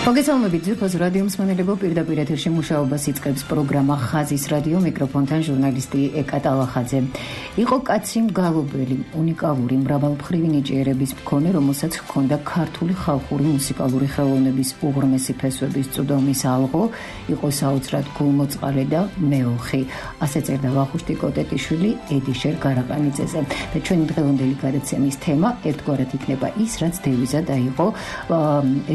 მოგესალმებით ძვირფას რადიო მსმენელებო, პირდაპირ ეთერში მუშაობას იწყებს პროგრამა ხაზის რადიო, მიკროფონთან ჟურნალისტი ეკა ტალახაძე. იყო კაცი მგალობელი, უნიკალური, მრავალმხრივი ნიჭიერების მქონე, რომელსაც ჰქონდა ქართული ხალხური მუსიკალური ხელოვნების უღრმესი ფესვების წვდომის ალღო, იყო საოცრად გულმოწყალე და მეოხი. ასე წერდა ვახუშტი კოტეტიშვილი ედიშერ გარაყანიძეზე. და ჩვენი დღევანდელი გადაცემის თემა ერთგვარად იქნება ის, რაც დევიზად აიღო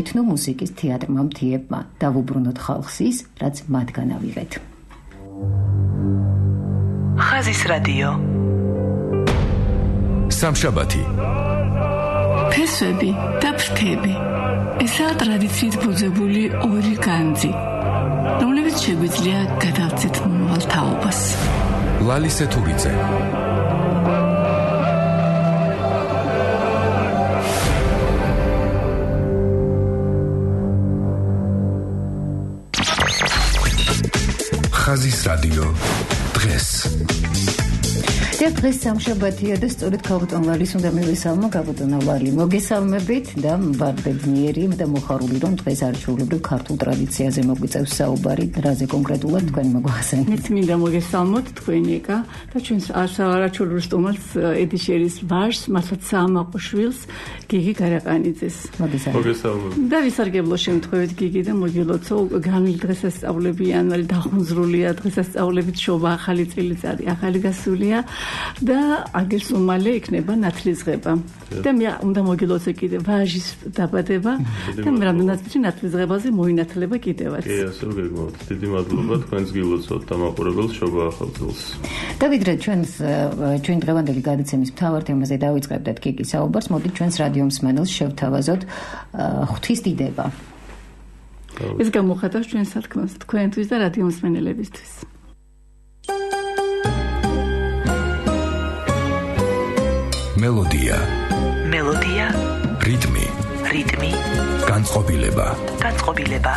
ეთნომუსიკის თეატრმა მთიებმა. დავუბრუნოთ ხალხს ის, რაც მათგან ავიღეთ. ხაზის რადიო. სამშაბათი. ფესვები და ფრთები. ესაა ტრადიციით ბუძებული ორი განძი, რომლებიც შეგვიძლია გადავწეთ მომავალ თაობას. ლალი სეთურიძე. ხაზის რადიო დღეს. დღეს სამშაბათია და სწორედ ქალბატონ ვალის უნდა მივესალმო. ქალბატონ ვალი, მოგესალმებით და მბარბედნიერი და მოხარული, რომ დღეს არჩეულებრივ ქართულ ტრადიციაზე მოგვიწევს საუბარი. რაზე კონკრეტულად თქვენ მოგვახსენეთ? მეც მინდა მოგესალმოთ თქვენი ეკა და ჩვენს არჩეულებრივ სტუმარს ედიშერის ვაჟს, მართლაც საამაყო შვილს, გიგი გარაყანიძეს. მოგესალმებით. და ვისარგებლო შემთხვევით გიგი და მოგილოცო განვლილი დღესასწაულები იანვარი დახუნზრულია, დღესასწაულებით შობა, ახალი წელიწადი, ახალი გასულია. და აგერს უმალე იქნება ნათლისღება. და მე უნდა მოგილოცო კიდე ვაჟის დაბადება და მე რამდენად ვიცი ნათლისღებაზე მოინათლება კიდევაც. კი, ასე გეგმავთ. დიდი მადლობა თქვენს გილოცოთ დამაყურებელს შობა ახალ წელს. დავით, ჩვენ დღევანდელი გადაცემის მთავარ თემაზე დავიწყებდეთ გიგის საუბარს. მოდით ჩვენს რადიო მსმენელს შევთავაზოთ ღვთის დიდება. ეს გამოხატავს ჩვენ სათქმას თქვენთვის და რადიო მსმენელებისთვის. მელოდია. მელოდია. რიტმი. რიტმი. განწყობილება. განწყობილება.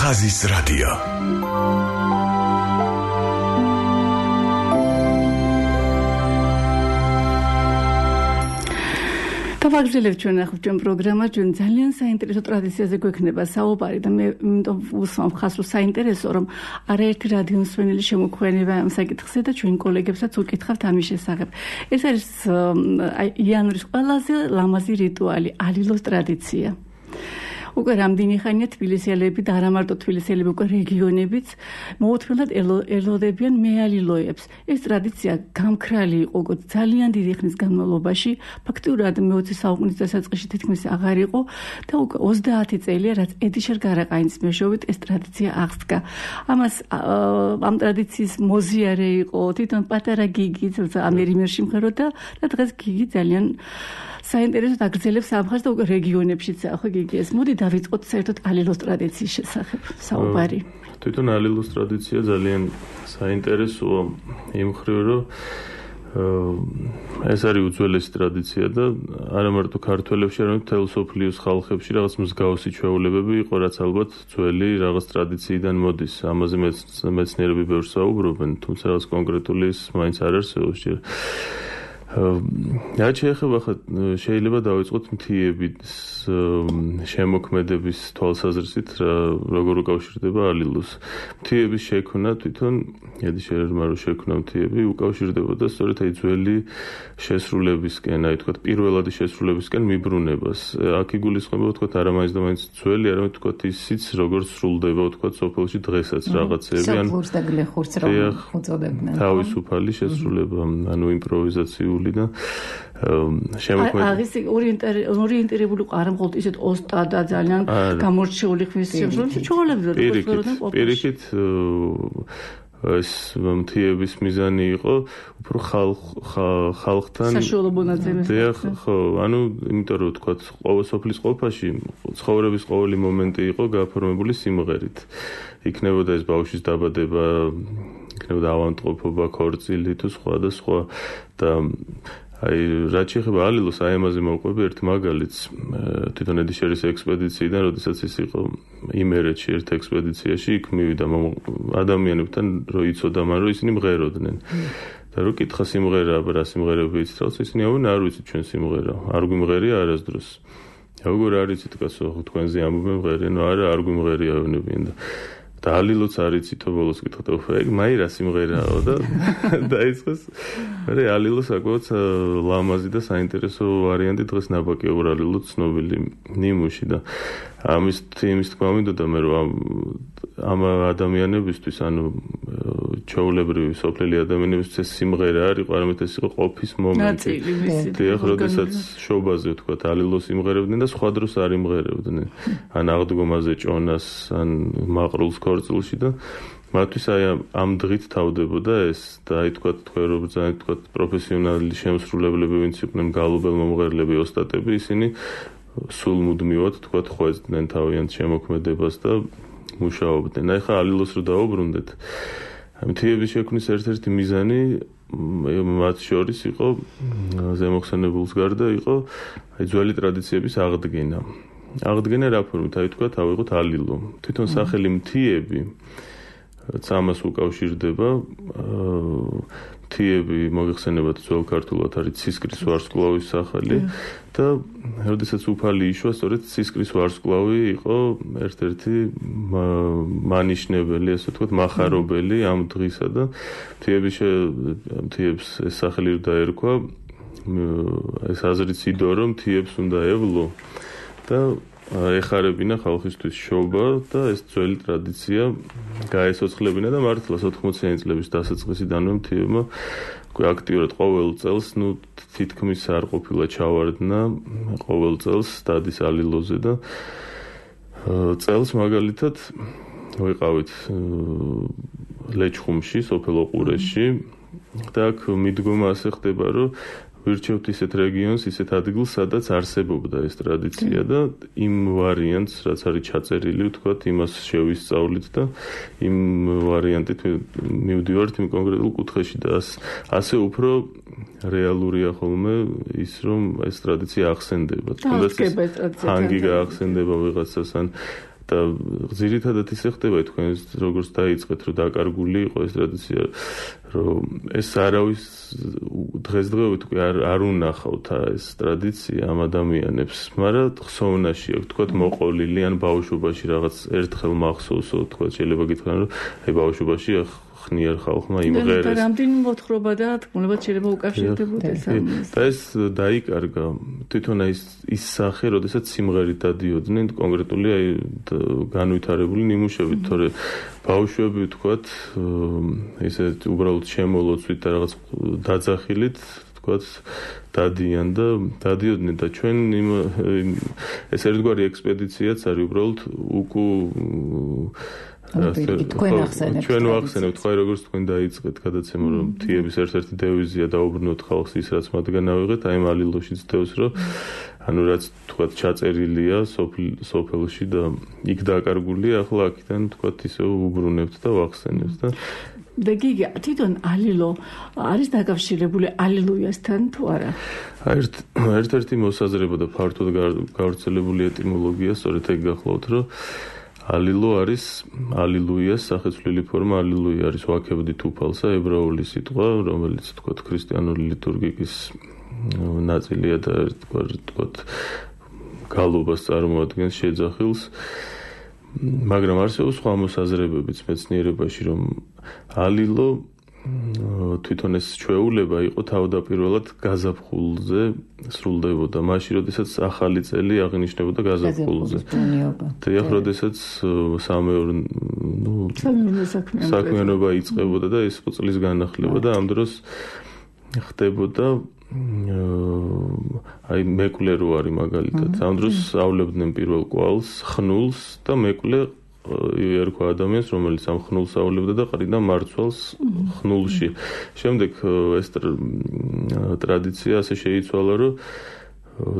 ხაზის რადიო. დავაგრძელებთ ჩვენ პროგრამა, ჩვენ ძალიან საინტერესო ტრადიციაზე გვექნება საუბარი და მე უსვამ ხაზს რომ საინტერესო, რომ არაერთი რადიო მსმენელი შემოგვეყვანება ამ საკითხზე და ჩვენ კოლეგებსაც უკითხავთ ამის შესახებ. ეს არის იანვრის ყველაზე ლამაზი რიტუალი, ალილოს ტრადიცია. უკვე რამდენი ხანია თბილისელები და არა მარტო თბილისელები, უკვე რეგიონებიც მოუთმენლად ელოდებიან მეალილოებს. ეს ტრადიცია გამქრალი იყო ძალიან დიდი ხნის განმავლობაში, ფაქტიურად მე-20 საუკუნის დასაწყისში თითქმის აღარ იყო და უკვე 30 წელია, რაც ედიშერ გარაყაინის მეშვეობით ეს ტრადიცია აღსდგა. ამ ტრადიციის მოზიარე იყო თვითონ პატარა გიგი, ამერიმერში მღეროდა და დღეს გიგი ძალიან საინტერესოდ აგრძელებს ამხარს და უკვე რეგიონებშიც ახლა გიგი ეს. მოდი დავიწყოთ საერთოდ ალილოს ტრადიციის შესახებ საუბარი. თვითონ ალილოს ტრადიცია ძალიან საინტერესოა იმ მხრივ, რომ ეს არის უძველესი ტრადიცია და არა მარტო ქართველებში, არამედ მთელ სოფლიოს ხალხებში რაღაც მსგავსი ჩვეულებები იყო, რაც ალბათ ძველი რაღაც ტრადიციიდან მოდის. ამაზე მეცნიერები ბევრს საუბრობენ, თუმცა რაღაც კონკრეტული ის მაინც არ არსებობს. რაც შეეხება შეიძლება დავიწყოთ მთიების შემოქმედების თვალსაზრისით, როგორ უკავშირდება ალილოს. მთიების შექმნა თვითონ ედიშერმა რო შექმნა მთიები უკავშირდებოდა სწორედ აი ძველი შესრულებისკენ, აი თქვა პირველადი შესრულებისკენ მიბრუნებას. აქ იგულისხმება თქვა არა მაინც და მაინც ძველი, არამედ თქვა ისიც როგორც სრულდება თქვა სოფელში დღესაც რაღაცეები, ან სოფლურს და გლეხურს რომ უწოდებდნენ. თავისუფალი შესრულება, ანუ იმპროვიზაციული და შემოქმედება. აღის ორიენტირებული არ მხოლოდ ისეთ ოსტად და ძალიან გამორჩეული ხმის შემსრულებელი ჩვეულებრივად პირიქით ეს მთიების მიზანი იყო უფრო ხალხთან საშუალო მონაცემის. ხო, ანუ იმიტომ რომ თქვა სოფლის ყოფაში ცხოვრების ყოველი მომენტი იყო გაფორმებული სიმღერით. იქნებოდა ეს ბავშვის დაბადება, იქნებოდა ავადმყოფობა, ქორწილი თუ სხვა და სხვა და აი რაც შეეხება ალილოს, აი ამაზე მოვყვები ერთ მაგალითს თვითონ ედიშერის ექსპედიციიდან, როდესაც ის იყო იმერეთში ერთ ექსპედიციაში, იქ მივიდა ადამიანებთან, რომ იცოდა მან რომ ისინი მღეროდნენ. და რო კითხა სიმღერა, რა სიმღერები იცით, ისინი ამბობენ არ ვიცით ჩვენ სიმღერა, არ გვიმღერია არასდროს. როგორ არ იცით კაცო, თქვენზე ამბობენ მღერია, ნუ არა არ გვიმღერია ვინებიან და ალილოც არ იცითო ბოლოს კითხოთ, ეგ მაირა სიმღერაო და დაიწყეს. მე ალილო საკმაოდ ლამაზი და საინტერესო ვარიანტი დღეს ნაბაკიო ალილო ცნობილი ნიმუში და ამის თქმა მინდოდა მე რომ ამ ადამიანებისთვის, ანუ ჩვეულებრივი სოფლელი ადამიანებისთვის ეს სიმღერა არ იყო, არამედ ეს იყო ყოფის მომენტი. დიახ, როდესაც შობაზე თქვა ალილოს იმღერებდნენ და სხვა დროს არ იმღერებდნენ. ან აღდგომაზე ჭონას, ან მაყრულს ქორწილში და მათთვის აი ამ დღით თავდებოდა ეს და აი თქვა თქვენ თქვა პროფესიონალი შემსრულებლები ვინც იყვნენ გალობელ-მომღერლები, ოსტატები, ისინი სულ მუდმივად თქვა ხვეწდნენ თავიანთ შემოქმედებას და მუშაობდნენ. აი ხა ალილოს რო დაუბრუნდეთ. მთიების შექმნის ერთ-ერთი მიზანი მათ შორის იყო ზემოხსენებულს გარდა იყო აი ძველი ტრადიციების აღდგენა. აღდგენა რა ფორმით? აი თქვა ავიღოთ ალილო. თვითონ სახელი მთიები ამას უკავშირდება. მთიები მოგეხსენებათ ძველ ქართულად არის ცისკრის ვარსკვლავის სახელი და როდესაც უფალი იშვა, სწორედ ცისკრის ვარსკვლავი იყო ერთ-ერთი მანიშნებელი, ასე ვთქვათ, მახარებელი ამ დღისა და მთიებს ეს სახელი დაერქვა. ეს აზრიც იდო, რომ მთიებს უნდა ევლო და ეხარებინა ხალხისთვის შობა და ეს ძველი ტრადიცია გაესოცხლებინა და მართლაც 80-იანი წლების დასაწყისიდანვე მთიებმა აქტიურად ყოველ წელს, ნუ თითქმის არ ყოფილა ჩავარდნა ყოველ წელს დადის ალილოზე და წელს მაგალითად ვიყავით ლეჩხუმში, სოფელ ოყურეში და აქ მიდგომა ასე ხდება, რომ ვირჩევთ ისეთ რეგიონს, ისეთ ადგილს, სადაც არსებობდა ეს ტრადიცია და იმ ვარიანტს, რაც არის ჩაწერილი, ვთქვათ, იმას შევისწავლით და იმ ვარიანტით მივდივართ იმ კონკრეტულ კუთხეში და ასე უფრო რეალურია ხოლმე ის, რომ ეს ტრადიცია ახსენდება. თუნდაც ჰანგი გაახსენდება ვიღაცას ან და ძირითადად ისე ხდება თქვენ როგორც დაიწყეთ, რომ დაკარგული იყო ეს ტრადიცია, რომ ეს არავის დღესდღეობით უკვე არ უნახავთ ეს ტრადიცია ამ ადამიანებს, მაგრამ ხსოვნაში აქვს, თქვათ მოყოლილი ან ბავშვობაში რაღაც ერთხელ მახსოვსო, თქვათ შეიძლება გითხრან, რომ აი ბავშვობაში ხნიერ ხალხმა იმღერეს. და რამდენი მოთხრობა და თქმულებად შეიძლება უკავშირდებოდეს ამას. და ეს დაიკარგა თვითონ ის სახე, როდესაც სიმღერით დადიოდნენ კონკრეტული განვითარებული ნიმუშებით, თორე ბავშვები ვთქვათ, ესე უბრალოდ შემოლოცვით და რაღაც დაძახილით დადიოდნენ და ჩვენ ეს ერთგვარი ექსპედიციაც არის უბრალოდ ჩვენ ვახსენებთ ხო როგორც თქვენ დაიწყეთ გადაცემა რომ თიების ერთ-ერთი დევიზია დაუბრუნოთ ხალხს ის რაც მათგან ავიღეთ აი ამ ალილოშიც დევს რომ ანუ რაც თქვათ ჩაწერილია სოფელში და იქ დაკარგულია ახლა აქიდან თქვათ ისე უბრუნებთ და ვახსენებთ და გიგი თვითონ ალილო არის დაკავშირებული ალილუიასთან თუ არა? ერთ-ერთი მოსაზრება და ფართოდ გავრცელებული ეტიმოლოგია სწორედ ეგ გახლავთ რომ ალილო არის ალილუიას სახეცვლილი ფორმა ალილუია არის ვაქებდით უფალსა ებრაული სიტყვა რომელიც თქვათ ქრისტიანული ლიტურგიკის ნაწილია და თქვათ გალობას წარმოადგენს შეძახილს მაგრამ არსებობს სხვა მოსაზრებებიც მეცნიერებაში რომ ალილო თვითონ ეს ჩვეულება იყო თავდაპირველად გაზაფხულზე სრულდებოდა მაშინ როდესაც ახალი წელი აღინიშნებოდა გაზაფხულზე და როდესაც საქმიანობა იწყებოდა და ეს წლის განახლება და ამ დროს ხდებოდა აი მეკლე რო არის მაგალითად ამ დროს ავლებდნენ პირველ კვალს ხნულს და მეკლე ერქვა ადამიანს რომელიც ამ ხნულს ავლებდა და ყრიდა მარცვალს ხნულში შემდეგ ეს ტრადიცია ასე შეიცვალა რომ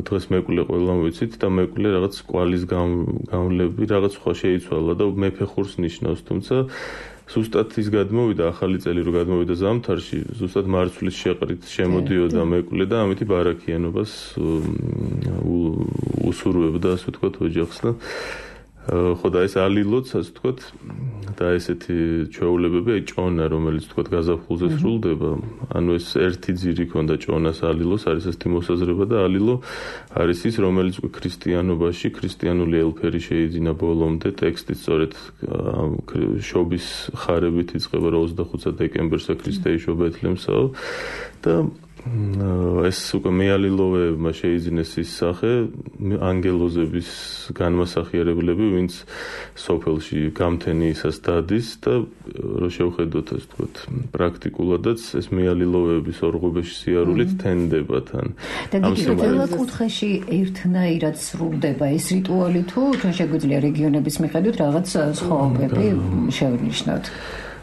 დღეს მეკლე ყველამ ვიცით და მეკლე რაღაც კვალის გამლები რაღაც სხვა შეიცვალა და მეფე ხურს ნიშნავს თუმცა ზუსტად ის გადმოვიდა ახალი წელი რო გადმოვიდა ზამთარში ზუსტად მარცვლის შეყრით შემოდიოდა მეკლე და ამითი ბარაქიანობას უსურვებდა ასე ვთქვათ ოჯახს და ხო და ეს ალილოც ასე ვთქვათ და ესეთი ჩვეულებები აი ჭონა რომელიც ვთქვათ გაზაფხულზე სრულდება ანუ ეს ერთი ძირი ქონდა ჭონას ალილოს არის ესეთი მოსაზრება და ალილო არის ის რომელიც ქრისტიანობაში ქრისტიანული ელფერი შეიძინა ბოლომდე ტექსტი სწორედ შობის ხარებით იწყება 25 დეკემბერს ქრისტეიშო ბეთლემსაო და ეს უკვე მეალილოვებმა შეიძინეს ის სახე ანგელოზების განმასახიერებლები ვინც სოფელში გამთენიისას დადის და რო შევხედოთ ასე ვთქვათ პრაქტიკულადაც ეს მეალილოვების ორღობეში სიარულით თენდება თან ამ სიმღერას კუთხეში ერთნაირად სრულდება ეს რიტუალი თუ ჩვენ შეგვიძლია რეგიონების მიხედვით რაღაც სხვაობები შევნიშნოთ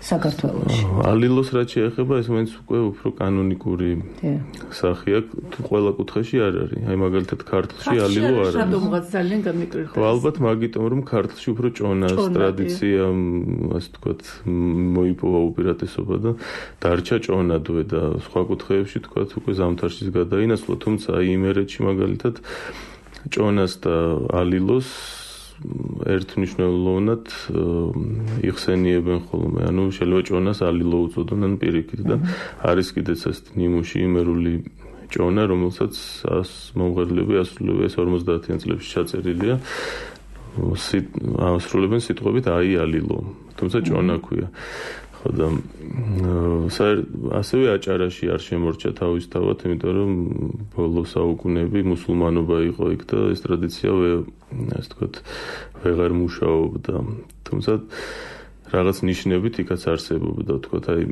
საქართველოში. ალილოს რაც შეეხება ეს მაინც უკვე უფრო კანონიკური სახეა თუ ყველა კუთხეში არ არის. აი მაგალითად ქართლში ალილო არ არის. რადგანაც ძალიან გამიკრიტეს. ალბათ მაგიტომ რომ ქართლში უფრო ჭონას ტრადიცია ასე ვთქვათ მოიპოვა უპირატესობა და დარჩა ჭონადვე და სხვა კუთხეებში ვთქვათ უკვე ზამთარშიც გადაინაცვლა თუმცა აი იმერეთში მაგალითად ჭონას და ალილოს ერთნიშნულოვნად იხსენიებენ ხოლმე. ანუ შეიძლება ჭონას ალილო უწოდონ ან პირიქით და არის კიდეც ასეთი ნიმუში იმერული ჭონა, რომელსაც მომღერლები ასრულებენ 50-იან წლებში ჩაწერილია. ასრულებენ სიტყვებით აი ალილო. თუმცა ჭონა ქვია. და ასევე აჭარაში არ შემორჩა თავისთავად, იმიტომ რომ ბოლო საუკუნეები მუსულმანობა იყო იქ და ეს ტრადიცია ასე ვთქვათ ვეღარ მუშაობდა. თუმცა რაღაც ნიშნებით იქაც არსებობდა, ვთქვათ, აი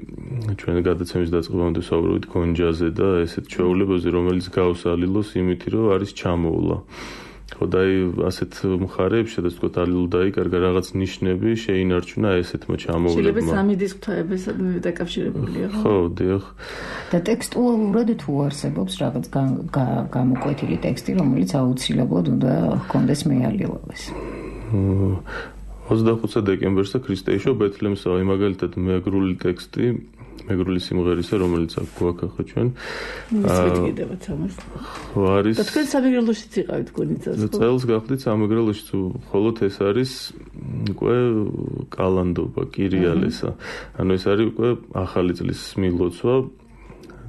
ჩვენ გადაცემის დაწყებამდე ვსაუბრობთ გონჯაზე და ესეთ ჩვეულებებზე, რომელიც გავს ალილოს იმით, რომ არის ჩამოვლა. ხო და ასეთ მხარეებში და ვთქვათ ალილო დაიკარგა რაღაც ნიშნები შეინარჩუნა ესეთმა ჩამოვლებმა. შეიძლება სამი დისკუთაების დაკავშირებულია, ხო? ხო, დიახ. და ტექსტუალურად თუ არსებობს რაღაც გამოკვეთილი ტექსტი, რომელიც აუცილებლად უნდა ჰქონდეს მეალილოვეს. 25 დეკემბერს ქრისტეიშო ბეთლემსა მაგალითად მეგრული ტექსტი მეგრული სიმღერისა რომელიც აქ გვაქახა ჩვენ მისვეთქიდებათ ამას არის და თქვენ სამეგრელოშიც იყავით გონიცას ხო წელს გახდით სამეგრელოში თუ ხოლოდ ეს არის უკვე კალანდობა კირიალესა ანუ ეს არის უკვე ახალი წლის მილოცვა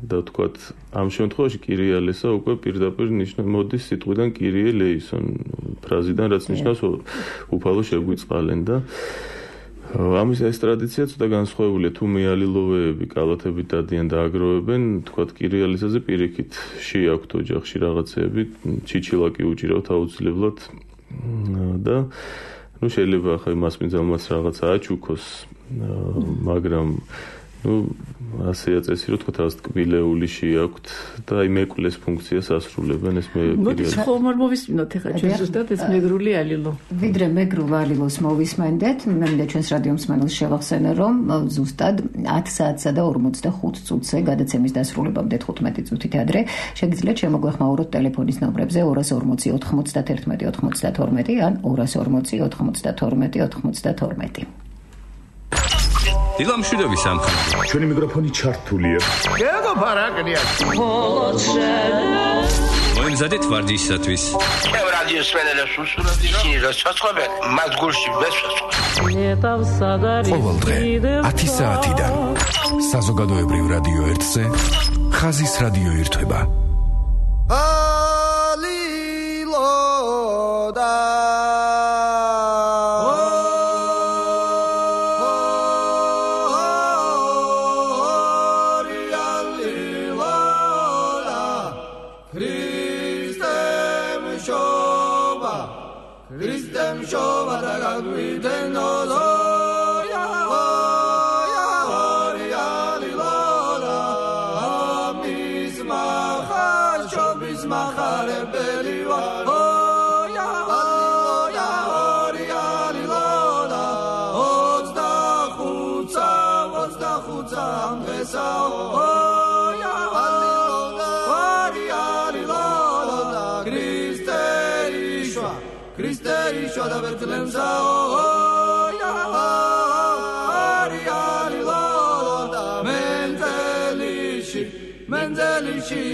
და თქვათ ამ შემთხვევაში კირიალესა უკვე პირდაპირ მოდის სიტყვიდან კირიე ლეისონ ფრაზიდან რაც ნიშნავს უფალო შეგვიწყალენ და ამის ეს ტრადიცია ცოტა განსხვავებულია, თუ მეალილოვეები კალათებით დადიან და აგროვებენ, თქვათ კირიალისაზე პირიქით შეაქვთ ოჯახში რაღაცეები, ჩიჩილაკი უჭირავთ აუცილებლად და შეიძლება ახლა იმას მიზალმაც რაღაცა აჩუქოს, მაგრამ ასე აწესი რომ თქვათ რაღაც ტკბილეული შეაქვთ და აი მეკვლის ფუნქციას ასრულებენ ეს მე მოდი ხომ არ მოვისმინოთ ახლა ჩვენ ზუსტად ეს მეგრული ალილო. ვიდრე მეგრულ ალილოს მოვისმენდეთ, მე მინდა ჩვენს რადიო მსმენელს შევახსენე, რომ ზუსტად 10 საათსა და 45 წუთზე გადაცემის დასრულებამდე 15 წუთით ადრე შეგიძლიათ შემოგვეხმაუროთ ტელეფონის ნომრებზე 240 91 92 ან 240 92 92. დილამშვიდობის სამხატვრო. ჩვენი მიკროფონი ჩართულია. გეგო ფარაკნია. მოიმზადეთ ვარჯიშისათვის. ჩემ რადიოს სმენელებს უსურვებდი რომ ისინი როცა მათ გულში ვესვასო. ყოველ დღე 10 საათიდან საზოგადოებრივ რადიო 1-ზე ხაზის რადიო ირთვება.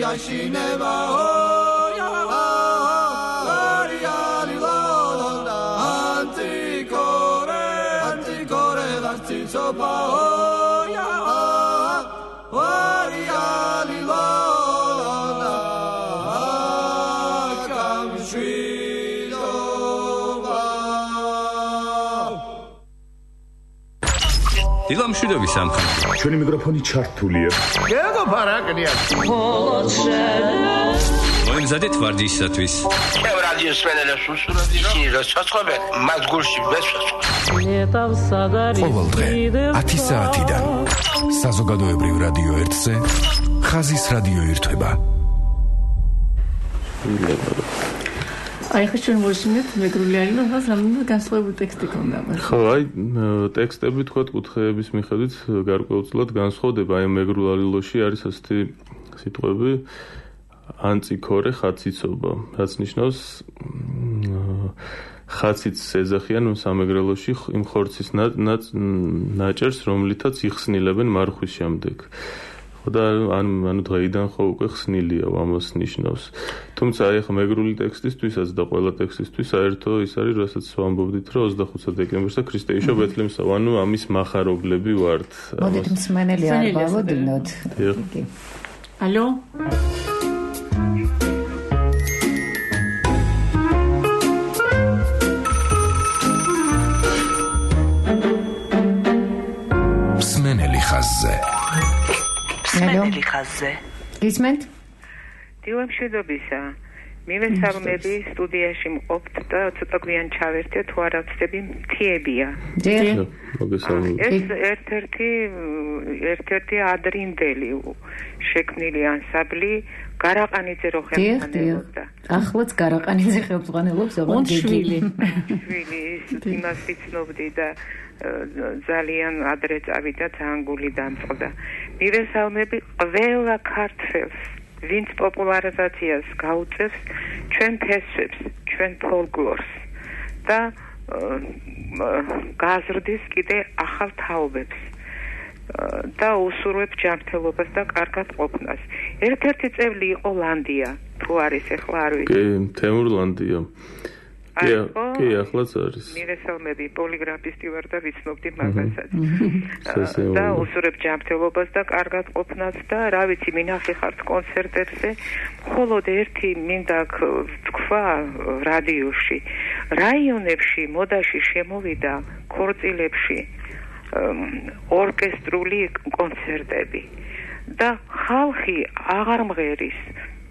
Yashineva anticore vartisopa დილამშვიდობის სამხატვრო. ჩვენი მიკროფონი ჩართულია. გეგო ფარაკნია. მოიმზადეთ ვარჯიშისათვის. ჩემ რადიოს სმენელებს უსურვებდი რომ ისინი როცა მათ გულში ვესვასო. ყოველ დღე 10 საათიდან საზოგადოებრივ რადიო 1-ზე ხაზის რადიო ირთვება. აი ხა ჩვენ მოვისმინეთ მეგრული ალილო, მას რამდენად განსხვავებული ტექსტი ქონდა. ხო, აი ტექსტები თქვათ კუთხეების მიხედვით გარკვეულწილად განსხვავდება. აი მეგრულ ალილოში არის ასეთი სიტყვები ანტიკორე ხაციცობა, რაც ნიშნავს ხაციც ეძახიან სამეგრელოში იმ ხორცის ნაჭერს, რომლითაც იხსნილებენ მარხვის შემდეგ. და ანუ დღეიდან ხო უკვე ხსნილია ამას ნიშნავს. თუმცა აი ახლა მეგრული ტექსტისთვისაც და ყველა ტექსტისთვის საერთო ის არის, რასაც ვამბობდით, რომ 25 დეკემბერს და ქრისტეიშო ბეთლემსა, ანუ ამის מחარებლები ვართ. მოდით მსმენელი არ გავოდინოთ. ალო? მსმენელი ხაზზე. მსმენელი ხაზზე. გისმენთ? დილამშვიდობისა. მივესალმები სტუდიაში მყოფთ და ცოტა გვიან ჩავერთე თუ არა ვწდები მთიებია. ეს ერთ-ერთი ადრინდელი შექმნილი ანსამბლი გარაყანიძე რო ხელმძღვანელობდა. ახლაც გარაყანიძე ხელმძღვანელობს, ოღონდ შვილი იმას ვიცნობდი და ძალიან ადრე წავიდა, ძალიან გული დამწყდა. მივესალმები ყველა ქართველს, ვინც პოპულარიზაციას გაუწევს ჩვენ ფესვებს, ჩვენ ფოლკლორს და გაზრდის კიდე ახალ თაობებს და უსურვებს ჯანმრთელობას და კარგად ყოფნას. ერთ-ერთი წევრი იყო ლანდია, თუ არის ახლა არ ვიცი. კი, თემურლანდია. კი, ახლაც არის. მირესალმები პოლიგრაფისტი ვარ და ვიცნობდი მაგასაც. და უსურებ ჯანმრთელობას და კარგად ყოფნას და რა ვიცი, მინახე ხართ კონცერტებზე, მხოლოდ ერთი მინდა თქვა რადიოში. რაიონებში მოდაში შემოვიდა ქორწილებში ორკესტრული კონცერტები და ხალხი აღარ მღერის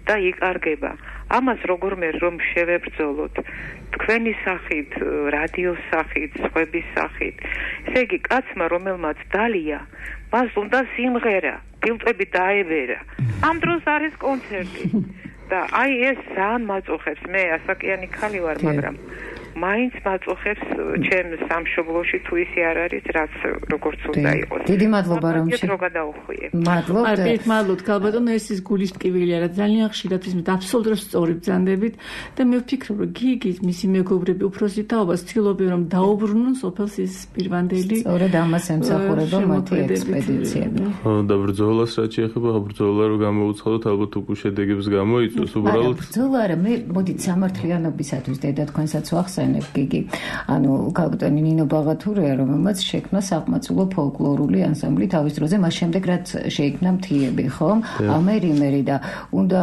და იკარგება. ამას როგორმე რომ შევებრძოლოთ თქვენი სახით, რადიოს სახით, სხვების სახით. ესე იგი, კაცმა რომელმაც დალია, მას უნდა სიმღერა, ფილტვები დაებერა. ამ დროს არის კონცერტი. და აი ეს ძალიან მაწუხებს. მე ასაკიანი ქალი ვარ, მაგრამ მაინც მაწუხებს ჩემ სამშობლოში თუ ისე არ არის, რაც როგორც უნდა იყოს. დიდი მადლობა რომ რო გადაუხვიე. მადლობთ. მადლობთ ქალბატონო, ეს ის გულის ტკივილი არა, ძალიან ხშირად ისმით აბსოლუტურად სწორი ბრძანდებით და მე ვფიქრობ, რომ გიგის მისი მეგობრები უფროსი თაობას ცდილობენ რომ დაუბრუნონ სოფელს ის პირვანდელი. სწორედ ამას ემსახურება მათი ექსპედიციები. და ბრძოლას რაც შეეხება, ბრძოლა რო გამოუცხადოთ, ალბათ უკვე შედეგებს გამოიწვევს უბრალოდ. ბრძოლა არა, მე მოდით სამართლიანობისათვის დედა თქვენსაც ვახსენებ გიგი. ანუ კაპიტანი ნინო ბაღათურია, რომელმაც შექმნა საყმაწვილო ფოლკლორული ანსამბლი თავის დროზე, მას შემდეგ რაც შეიქმნა მთიები, ხო? ამერიმერი და უნდა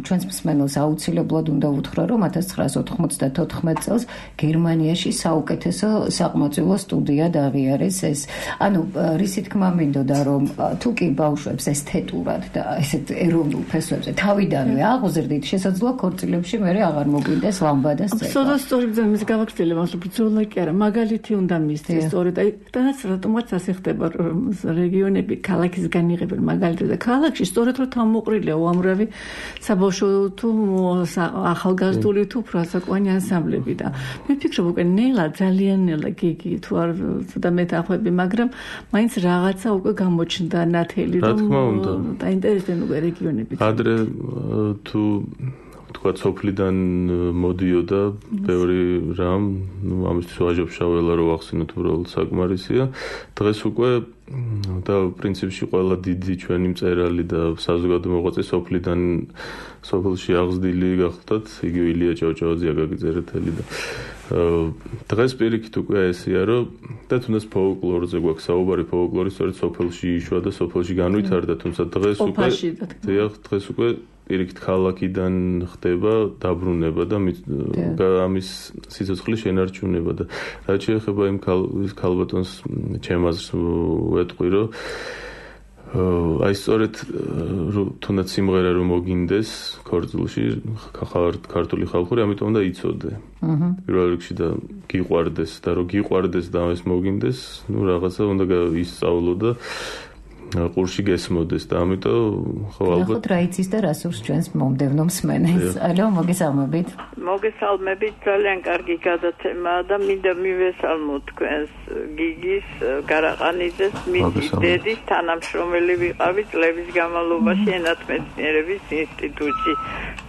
ჩვენს მსმენელს აუცილებლად უნდა უთხრა, რომ 1994 წელს გერმანიაში საუკეთესო საყმაწვილო სტუდია აღიარეს ეს. ანუ რისი თქმა მინდოდა, რომ თუ კი ბავშვებს ესთეტურად და ესეთ ეროვნულ ფესვებზე თავიდანვე აღუზრდით, შესაძლოა ქორწილებში მე აღარ მოგვინდეს ლამბადა სცენა. სოდა სწორი ბრძანის გავაგრძელებ, ამას ბრძოლა კი არა, მაგალითი უნდა მისცეს სწორედ აი დანაც რატომაც ასე ხდება რეგიონები ქალაქისგან იღებენ მაგალითად და ქალაქში სწორედ რომ თავმოყრილია უამრავი საბავშვო თუ ახალგაზრდული თუ ფრასაკوانი ანსამბლები და მე ვფიქრობ უკვე ნელა ძალიან ნელა გიგი თუ არ ცოტა მეტახვები, მაგრამ მაინც რაღაცა უკვე გამოჩნდა ნათელი რომ დაინტერესდნენ უკვე რეგიონები. ადრე თუ თქვა სოფლიდან მოდიოდა ბევრი რამ, ნუ ამისთვის ვაჟობშაველა რო ახსენოთ უბრალოდ საკმარისია. დღეს უკვე და პრინციპში ყველა დიდი ჩვენი მწერალი და საზოგადო მოღვაწე სოფლიდან სოფელში აღზრდილი გახდათ, იგივე ილია ჭავჭავაძე, აკაკი წერეთელი და დღეს პირიქით უკვე ესია, რომ და თუნდაც ფოლკლორზე გვაქვს საუბარი, ფოლკლორი სწორედ სოფელში იშვა და სოფელში განვითარდა, თუმცა დღეს უკვე დღეს უკვე პირიქით ქალაქიდან ხდება დაბრუნება და ამის სიცოცხლის შენარჩუნება და რაც შეეხება იმ ქალბატონს ჩემ აზრს ვეტყვი, რომ აი სწორედ თუნდაც სიმღერა რომ მოგინდეს ქორწილში ქართული ხალხური, ამიტომ უნდა იცოდე. პირველ რიგში და გიყვარდეს და რომ გიყვარდეს და ეს მოგინდეს, ნუ რაღაცა უნდა ისწავლო და ყურში გესმოდეს და ამიტომ ხო ალბათ რა იცის და რა სურს ჩვენს მომდევნო მსმენელს. ალო, მოგესალმებით. მოგესალმებით, ძალიან კარგი გადაცემაა და მინდა მივესალმოთ თქვენს გიგის გარაყანიძეს, მისი დედის თანამშრომელი ვიყავი წლების განმავლობაში ენათმეცნიერების ინსტიტუტში.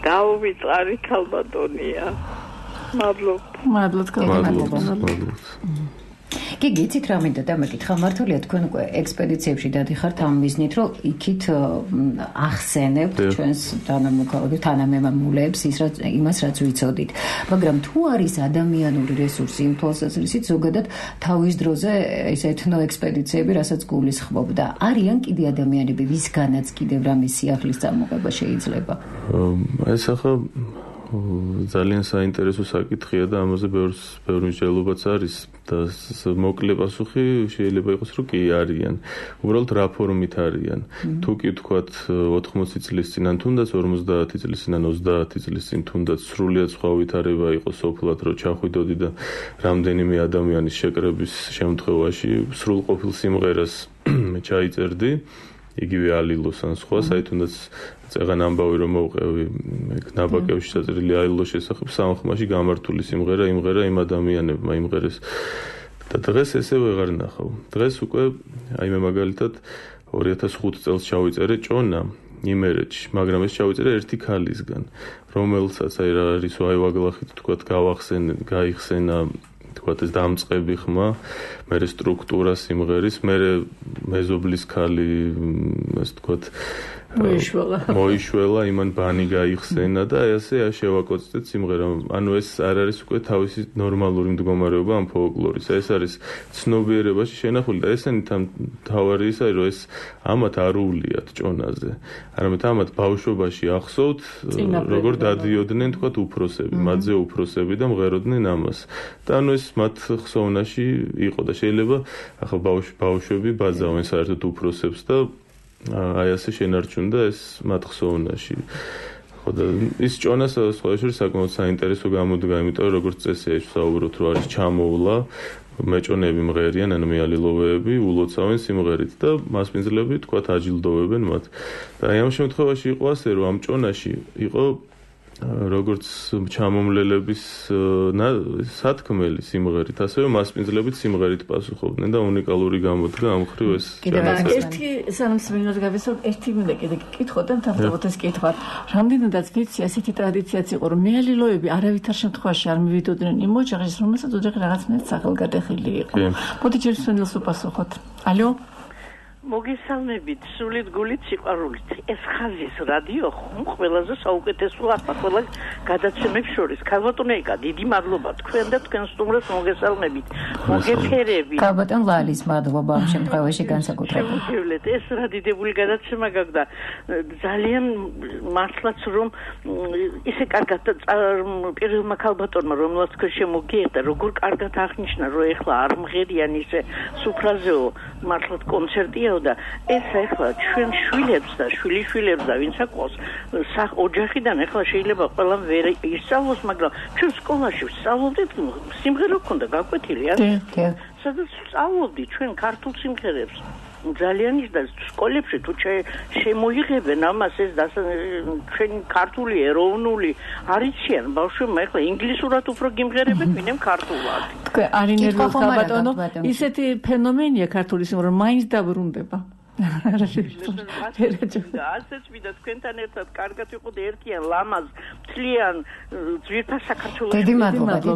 დაუვიწყარი ქალბატონია. მადლობთ. გიგი, იცით რა მინდა დამეკითხა, მართალია თქვენ უკვე ექსპედიციებში დადიხართ ამ მიზნით, რომ იქით ახსენებთ ჩვენს თანამემამულეებს იმას, რაც ვიცოდით. მაგრამ თუ არის ადამიანური რესურსი იმ თვალსაზრისით, ზოგადად თავის დროზე ეს ეთნო ექსპედიციები, რასაც გულისხმობდა, არიან კიდე ადამიანები, ვისგანაც კიდევ რამის სიახლის წამოღება შეიძლება? ეს ახლა ძალიან საინტერესო საკითხია და ამაზე ბევრი მსჯელობაც არის და მოკლე პასუხი შეიძლება იყოს, რომ კი არიან. უბრალოდ რა ფორმით არიან. თუ კი ვთქვათ 80 წლის წინ ან თუნდაც 50 წლის წინ ან 30 წლის წინ თუნდაც სრულიად სხვა ვითარება იყოს სოფლად, რომ ჩახვიდოდი და რამდენიმე ადამიანის შეკრების შემთხვევაში სრულყოფილ სიმღერას ჩაიწერდი, იგივე ალილოს ან სხვას, აი თუნდაც წეგან ამბავი რომ მოვყევი ნაბაკევში საწერილი ალილოს შესახებ, სამხმაში გამართული სიმღერა იმღერა იმ ადამიანებმა იმღერეს და დღეს ესე ვეღარ ნახავ. დღეს უკვე აი მე მაგალითად 2005 წელს ჩავიწერე ჭონა იმერეთში, მაგრამ ეს ჩავიწერე ერთი ქალისგან, რომელსაც აი რა არის აი ვაგლახით თქვა გაიხსენა თქვათ ეს დამწყები ხმა, მერე სტრუქტურა სიმღერის, მერე მეზობლის ქალი, ასე თქვათ მოიშველა, იმან ბანი გაიხსენა და ასე შევაკოცდეთ სიმღერა. ანუ ეს არ არის უკვე თავისი ნორმალური მდგომარეობა ამ ფოლკლორის. ეს არის ცნობიერებაში შენახული და ესენი თავარი ისაა, რომ ეს ამათ არ უვლიათ ჭონაზე. არამედ ამათ ბავშვობაში ახსოვთ, როგორ დადიოდნენ თქვათ უფროსები, მათზე უფროსები და მღეროდნენ ამას. და ანუ ეს მათ ხსოვნაში იყო და შეიძლება ახლა ბავშვები ბაძავენ საერთოდ უფროსებს და აი ასე შენარჩუნდა ეს მათ ხსოვნაში. ხო და ის ჭონას სხვა შორის საკმაოდ საინტერესო გამოდგა, იმიტომ რომ როგორც წესია ვსაუბრობთ, რომ არის ჩამოვლა მეჭონები მღერიან, ანუ მეალილოვეები ულოცავენ სიმღერით და მასპინძლები თქვათ აჯილდოვებენ მათ. და აი ამ შემთხვევაში იყო ასე, რომ ამ ჭონაში იყო როგორც ჩამომლელების სათქმელი სიმღერით, ასევე მასპინძლებით სიმღერით პასუხობდნენ და უნიკალური გამოდგა ამ ხრივ ეს ჩანაწერი. ერთი სამსმინოს გავესწორ, ერთი მინდა კიდე გკითხოთ და თავდაპირველად ეს კითხვა. რამდენადაც ვიცი, ასეთი ტრადიციაც იყო, რომ მეალილოები არავითარ შემთხვევაში არ მივიდოდნენ იმ ოჯახის, რომელსაც ოჯახი რაღაცნაირად სახელგადახილი იყო. მოდი ჯერ სვენელს უპასუხოთ. ალო? მოგესალმებით, სულით გულით სიყვარულით. ეს ხაზის რადიო ხომ ყველაზე საუკეთესო ახლა ყველა გადაცემებს შორის. ქალბატონეიკა, დიდი მადლობა თქვენ და თქვენ სტუმრებს მოგესალმებით. მოგეფერებით. ქალბატონ ლალის მადლობა ამ შემთხვევაში განსაკუთრებით. ეს რა დიდებული გადაცემა გაგდა. ძალიან მართლაც რომ ისე კარგად პირველმა ქალბატონმა რომელსაც თქვენ შემოგიერთდა, როგორ კარგად აღნიშნა, რომ ეხლა არ მღერიან ისე სუფრაზეო, მართლაც კონცერტია და ეს ახლა ჩვენ შვილებს და შვილიშვილებს და ვინც აკოს ოჯახიდან ახლა შეიძლება ყველამ ვერ ისწავლოს, მაგრამ ჩვენ სკოლაში ვსწავლობდით სიმღერა ქონდა გაკვეთილი, სადაც სწავლობდით ჩვენ ქართულ სიმღერებს. ძალიან ის და სკოლებში თუ შემოიღებენ ამას ეს ჩვენი ქართული ეროვნული არიციან ბავშვებმა ახლა ინგლისურად უფრო გიმღერებენ ვინმე ქართულად. თქვენ არ ინერვიულ ქალბატონო, ისეთი ფენომენია ქართული სიმღერა, მაინც დაბრუნდება. ასეც მინდა თქვენთან ერთად კარგად ვიყოთ ერთიან ლამაზ მთლიან ძვირფას საქართველოს. დიდი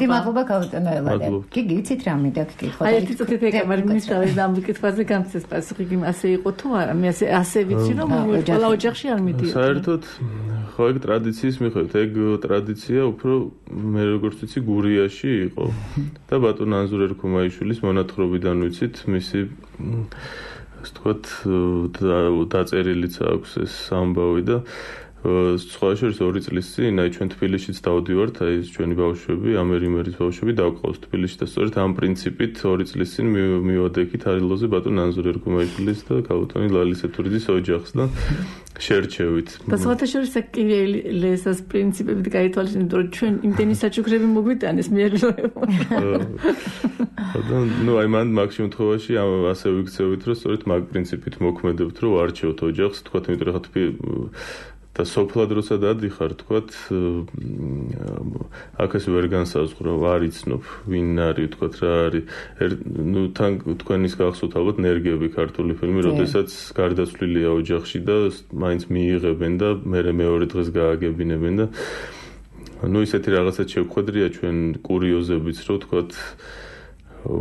მადლობა ქალბატონო ელადა. კი გიცით რა მინდა გკითხოთ. აი ერთი წუთით ეკამარი მინისტრალეს ამ კითხვაზე გამწეს პასუხი, ასე იყო თუ არა? მე ასე ვიცი რომ ყველა ოჯახში არ მიდიოდა. საერთოდ ხო ეგ ტრადიციის მიხედვით, ეგ ტრადიცია უფრო მე როგორც ვიცი გურიაში იყო და ბატონ ანზორ ერქომაიშვილის მონათხრობიდან ვიცით მისი ასე თქვათ დაწერილიც აქვს ეს ამბავი და სხვა შორის 2 წლის წინ აი ჩვენ თბილისშიც დავდივართ, აი ჩვენი ბავშვები, ამერიმერის ბავშვები დავყავს თბილისში და სწორედ ამ პრინციპით 2 წლის წინ მივადექით არილოზე ბატონ ანზორ ერქომაიშვილის და ქალბატონი ლალის ეთურიძის ოჯახს და შერჩევით. და სხვათა შორის ესას პრინციპებით გაითვალისწინებთ, რომ ჩვენ იმდენი საჩუქრები მოგვიტანეს მეალილოებმა. ну აი მან მაგ შემთხვევაში ასე ვიქცევით, რომ სწორედ მაგ პრინციპით მოქმედებთ, რომ არჩევთ ოჯახს, თქვათ, იმიტომ რომ და სოფლად როცა დადიხარ, თქვათ, აქ ეს ვერ განსაზღვრო, არ იცნობ, ვინ არის, თქვათ, რა არის. ну თან თქვენის გახსოვთ ალბათ ნერგები ქართული ფილმი, როდესაც გარდაცვლილია ოჯახში და მაინც მიიღებენ და მეორე დღეს გააგებინებენ და ну ისეთი რაღაცაც შევხვედრია ჩვენ კურიოზებიც, რომ თქვათ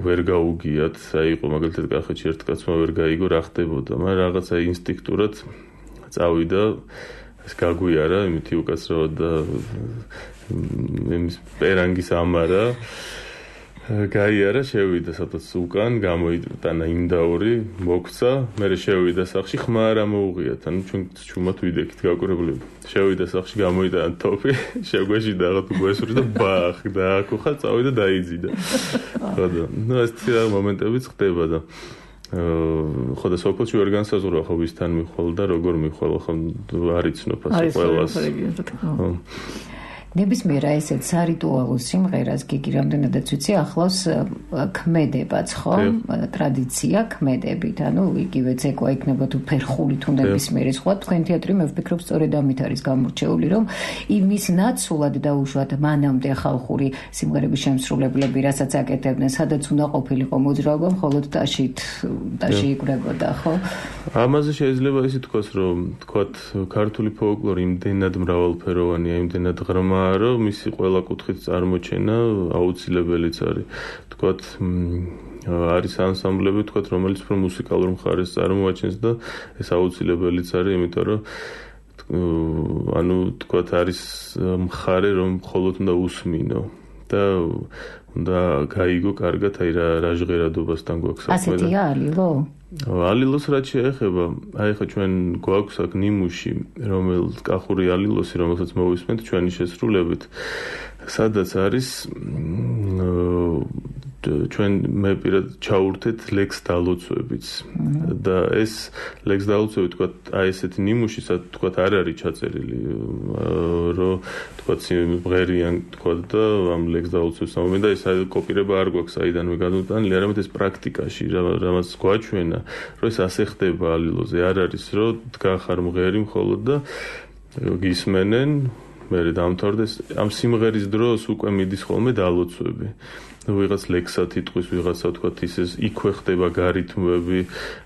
ვერ გაუგიათ, აი იყო მაგალითად კახეთში ერთ კაცმა ვერ გაიგო რა ხდებოდა, მაგრამ რაღაცა ინსტინქტურად წავიდა ეს გაგვიარა, იმითი უკაცრავად და იმის პერანგის ამარა გაიარა, შევიდა სადაც უკან, გამოიტანა იმდაური, მოგვცა, მე შევიდა სახში, ხმა არ ამოუღიათ, ანუ ჩვენ ჩუმად ვიდექით გაკვირებული. შევიდა სახში, გამოიტანა თოფი, შეგვეშიდა რაღაც უგვესური და ბახ, დააკუხა, წავიდა დაიძიდა. ხო და ну ეს ცირა მომენტებიც ხდება და ხო და სოფელში ვერ განსაზღვრო ხო ვისთან მიხვალ და როგორ მიხვალ ხო არ იცნობ ასე ყველას. ნებისმიერ ესეთ სარიტუალო სიმღერას გიგი რამდენადაც ვიცი ახლავს ქმედებაც ხო ტრადიცია ქმედებით ანუ იგივე ცეკვა იქნება თუ ფერხული თუ ნებისმიერი სხვა თქვენ თეატრი მე ვფიქრობ სწორედ ამით არის გამორჩეული რომ იმის ნაცვლად დაუშვათ მანამდე ხალხური სიმღერების შემსრულებლები რასაც აკეთებდნენ სადაც უნდა ყოფილიყო მოძრაობა მხოლოდ ტაში იკვრებოდა ხო ამაზე შეიძლება ისე თქვას რომ თქვათ ქართული ფოლკლორი იმდენად მრავალფეროვანია იმდენად ღრმა რომ მისი ყველა კუთხით წარმოჩენა აუცილებელიც არის. თქვათ არის ანსამბლები, თქვათ, რომელიც უფრო მუსიკალურ მხარეს წარმოაჩენს და ეს აუცილებელიც არის, იმიტომ რომ ანუ თქვათ არის მხარე, რომ მხოლოდ უნდა usმინო და უნდა გაიგო კარგად აი რა ჟღერადობასთან გვაქვს საქმე. ასეთია ალილო? ალილოს რაც შეეხება, აი ხა ჩვენ გვაქვს აქ ნიმუში, რომელიც კახური ალილოსი, რომელსაც მოვისმენთ ჩვენი შესრულებით, სადაც არის ჩვენ მე პირად ჩაურთეთ ლექს დალოცვებიც და ეს ლექს დალოცვები თქვა აი ესეთი ნიმუში თქვა არ არის ჩაწერილი რომ თქვა მღერიან თქვა და ამ ლექს დალოცვებს ამომენ და ეს კოპირება არ გვაქვს საიდანვე გადმოტანილი, არამედ ეს პრაქტიკაში რამაც გვაჩვენა, რომ ეს ასე ხდება ალილოზე, არ არის რომ დგახარ მღერი მხოლოდ და გისმენენ მე დამთავრდეს ამ სიმღერის დროს უკვე მიდის ხოლმე დალოცვები. ვიღაც ლექსად იტყვის, ვიღაცა თქვათ ისეს იქვე ხდება გარითმები,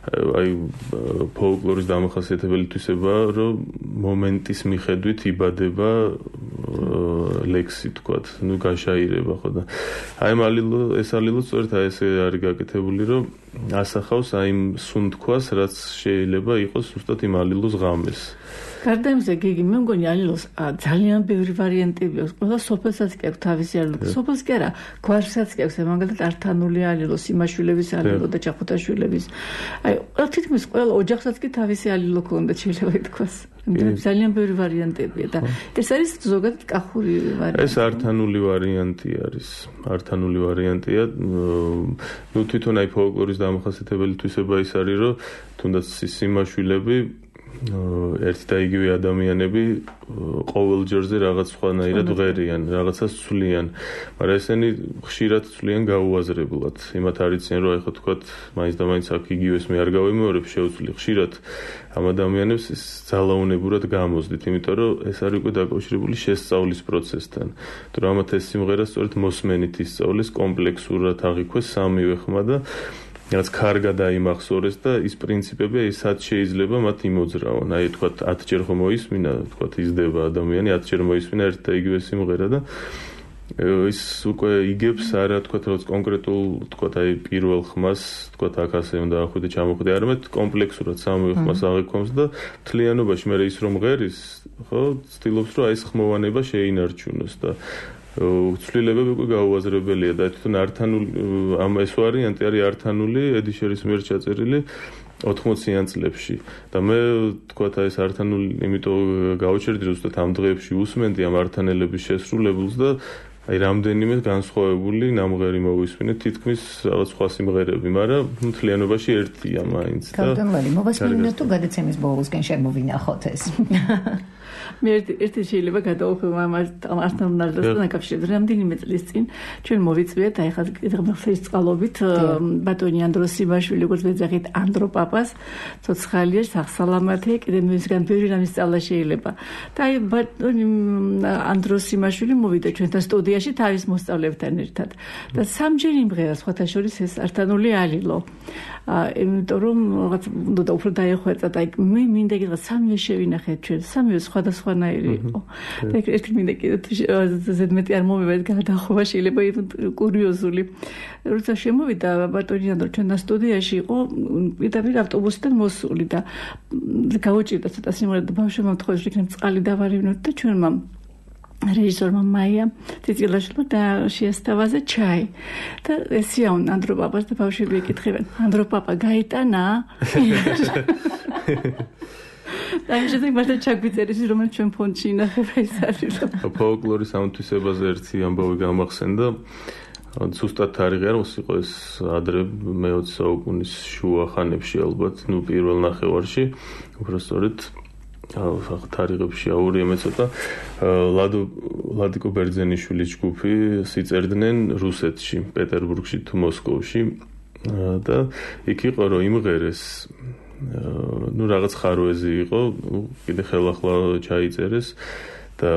აი ფოლკლორის დამახასიათებელი თვისება, რომ მომენტის მიხედვით იბადება ლექსი თქვათ, ნუ გაშაირება ხო და აი ეს ალილო სწორედ აი ესე არის გაკეთებული, რომ ასახავს აი იმ სუნთქვას, რაც შეიძლება იყოს ზუსტად იმ ალილოს ღამეს. გარდა იმისა, გიგი, მე მგონი ალილოს ძალიან ბევრი ვარიანტები აქვს. ყველა სოფელსაც კი აქვს თავისი ალილო. სოფელს კი არა, გვარსაც კი აქვს, მაგალითად ართანული ალილო, სიმაშვილების ალილო და ჩახუთაშვილების. აი, თითქმის ყველა ოჯახსაც კი თავისი ალილო ქონდა, შეიძლება ითქვას. ძალიან ბევრი ვარიანტებია და ეს არის ზოგადად კახური ვარიანტი. ეს ართანული ვარიანტი არის. ართანული ვარიანტია. ნუ თვითონ აი ფოლკლორის დამახასიათებელი თვისება ის არის, რომ თუნდაც სიმაშვილები ერთი და იგივე ადამიანები ყოველ ჯერზე რაღაც სხვანაირად ვღერიან, რაღაცას ცვლიან, მაგრამ ესენი ხშირად ცვლიან გაუაზრებლად. იმათ არიციან, რომ ეხლა თქვათ, მაინც და მაინც აქ იგივეს მე არ გავიმეორებ, შევცვლი ხშირად ამ ადამიანებს ეს ძალაუნებურად გამოზდით, იმიტომ რომ ეს არის უკვე დაკავშირებული შესწავლის პროცესთან. თუ რამათ ეს სიმღერა სწორედ მოსმენით ისწავლეს კომპლექსურად აღიქვეს სამივე ხმა და რაც კარგად აიმახსოვრეს და ის პრინციპები ესაც შეიძლება მათ იმოძრავონ. აი თქვათ 10 ჯერ ხომ მოისმინა, თქვათ იზრდება ადამიანი 10 ჯერ მოისმინა ერთ და იგივე სიმღერა და ის უკვე იგებს არა თქვათ რაღაც კონკრეტულ თქვათ აი პირველ ხმას თქვათ აქ ასე უნდა ახვიდე ჩამოხვიდე, არამედ კომპლექსურად სამივე ხმას აღიქვამს და მთლიანობაში მე ის რომ ღერის, ხო, ცდილობს რომ აი ეს ხმოვანება შეინარჩუნოს და ცვლილებები უკვე გაუაზრებელია და თვითონ ართანული ამ ეს ვარიანტი არის ართანული ედიშერის მიერ ჩაწერილი 80-იან წლებში და მე თქვათ აი ეს ართანული იმიტომ გავჩერდი რომ ზუსტად ამ დღეებში უსმენდი ამ ართანელების შესრულებულს და აი რამდენიმე განსხვავებული ნამღერი მოვისმინე თითქმის რაღაც სხვა სიმღერები, მაგრამ მთლიანობაში ერთია მაინც და კარტონვალი მოვასმინოთ თუ გადაცემის ბოლოსკენ შემოვინახოთ ეს მე ერთი შეიძლება გადავუხმო ამ ართანულთან დაკავშირებით. რამდენიმე წლის წინ ჩვენ მოვიწვიეთ აი ხა დღეს წყალობით ბატონი ანდროს სიმაშვილი, როგორც ვეძახით ანდრო პაპას, ცოცხალია, სახსალამათია, კიდე მისგან ბევრი რამის სწავლა შეიძლება. და აი ბატონი ანდროს სიმაშვილი მოვიდა ჩვენთან სტუდიაში თავის მოსწავლეებთან ერთად. და სამჯერ იმღერა სხვათა შორის ეს ართანული ალილო. იმიტომ რომ რაღაც უნდა უფრო დაეხვეწა და მე მინდა კიდე სამივე შევინახეთ ჩვენ, სამივე სხვადასხვანაირი იყო. და ერთი მინდა კიდე ზედმეტი არ მომივედ გადახობა შეიძლება კურიოზული. როცა შემოვიდა ბატონი ანდრო ჩვენთან სტუდიაში იყო პირდაპირ ავტობუსიდან მოსული და გაუჭირდა ცოტა სიმღერა და ბავშვებმა თქვა რომ იქნებ წყალი დავარივნოთ და ჩვენმა რეჟისორმა მაია ციცილაშვილმა და შეესთავაზა ჩაი და ესიაუნ ანდრო პაპას და ბავშვები ეკითხებენ ანდრო პაპა გაიტანა და ის შეიძლება ჩაგვიწერეს რომელიც ჩვენ ფონდში ინახება ის არის ფოლკლორის ამთვისებაზე ერთი ამბავი გამახსენდა ზუსტად თარიღი არ იყო ეს ადრე მე-20 საუკუნის შუა ხანებში ალბათ ნუ პირველ ნახევარში უბრალოდ თარიღებში აურია მე ცოტა ლადიკო ბერძენიშვილის ჯგუფი სიწერდნენ რუსეთში, პეტერბურგში თუ მოსკოვში და იქ იყო რომ იმღერეს ნუ რაღაც ხარვეზი იყო, კიდე ხელახლა ჩაიწერეს და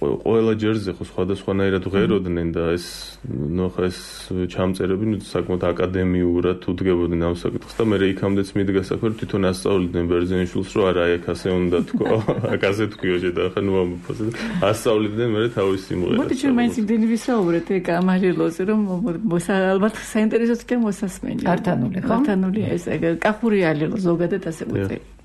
ყველა ჯერზე ხო სხვადასხვანაირად ღეროდნენ და ეს ჩამწერები საკმაოდ აკადემიურად უდგებოდნენ ამ საკითხს და მე იქამდეც მიდგა საქმე თვითონ ასწავლიდნენ ბერძენიშვილს რომ არა აქ ასე უნდა თქვა აქ ასე თქვიო შედახა ასწავლიდნენ მე თავის სიმღერას მოდი ჩვენ მაინც იმდენი ვისაუბრეთ ეგ ამალილოზე რომ ალბათ საინტერესოა თქვენ მოსასმენი ართანული ხო ართანული ეს კახური ალილო ზოგადად ასე ვუწევი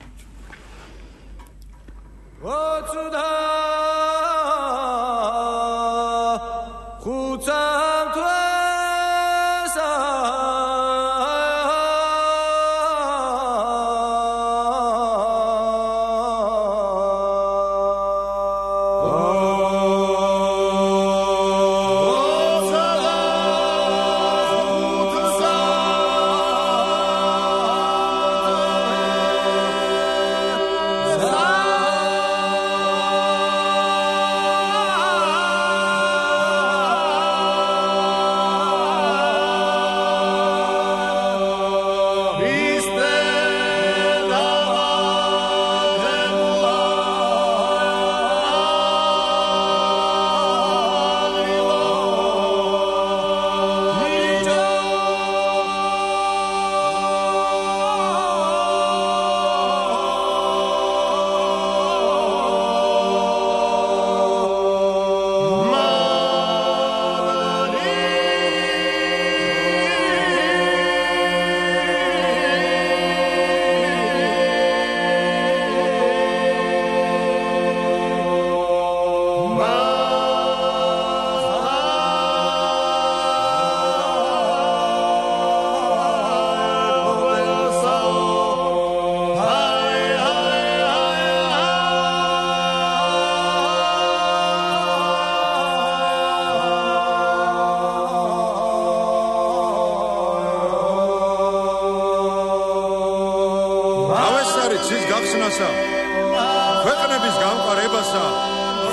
ქვეყნების გამყარებასა,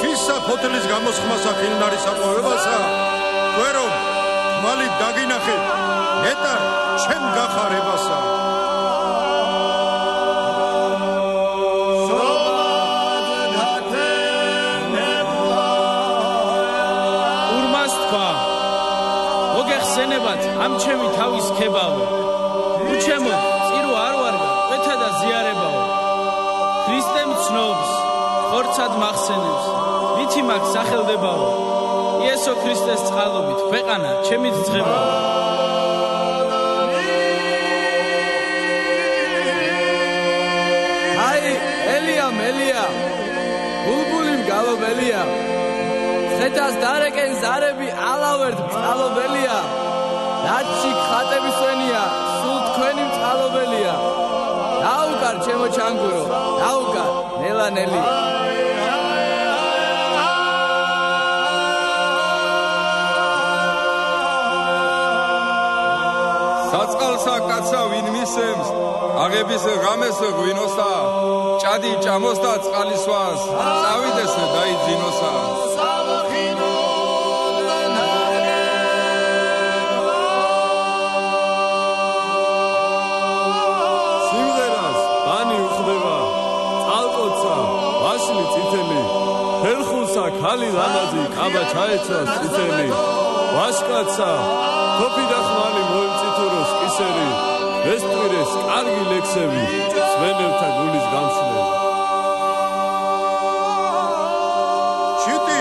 ხისა ფოთლის გამოსხმასა ხილნარის აპოვებასა, გვერომ მალით დაგინახეთ, ნეტარ ჩემ გახარებასა. ურმას თქვა, მოგეხსენებათ ამ ჩემი თავის ქებავო, უჩემოთ წირო არ ვარგა, ყვეთა და ზიარებაო. ქრისტემ ცნობს, ხორცად მახსენებს, მითი მაგ სახელდებაო. იესო ქრისტეს წყალობით, ქვეყანა ჩემით ძღებაო. აი, ელია, ბულბულიმ გალობელია. ხედას დარეკენ ზარები ალავერთ წყალობელია. რაცი ხატების ვენია, სულ თქვენი წყალობელია. დაუგარ ჩემო ჩანგურო, დაუგარ ნელანელი. საწყალსა კაცა ვინ მისემს, აღების ღამეს ღვინოსა, ჭადი ჭამოსა წყალისვას, წავიდეს დაიძინოსა. ხალი ლამაზი კაბა ჩაეცვას წითელი ვაშკაცა თოფი და ხმალი მოემწითუროს კისერი ვესტვირეს კარგი ლექსები სვენელთა გულის გამსვლელი შიტი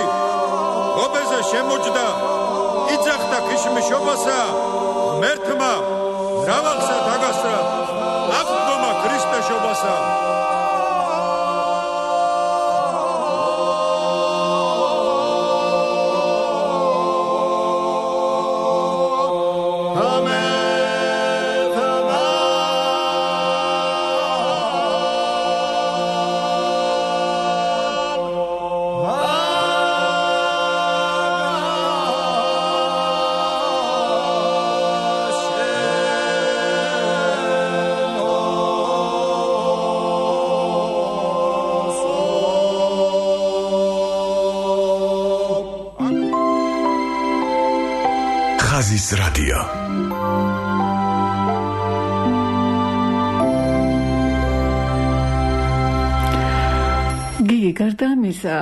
გობეზე შემოჯდა იძახდა ქიშმიშობასა მერთმა მრავალსა დაგასრა აღდგომა ქრისტეშობასა ხაზის რადიო გიგა გარდა ამისა,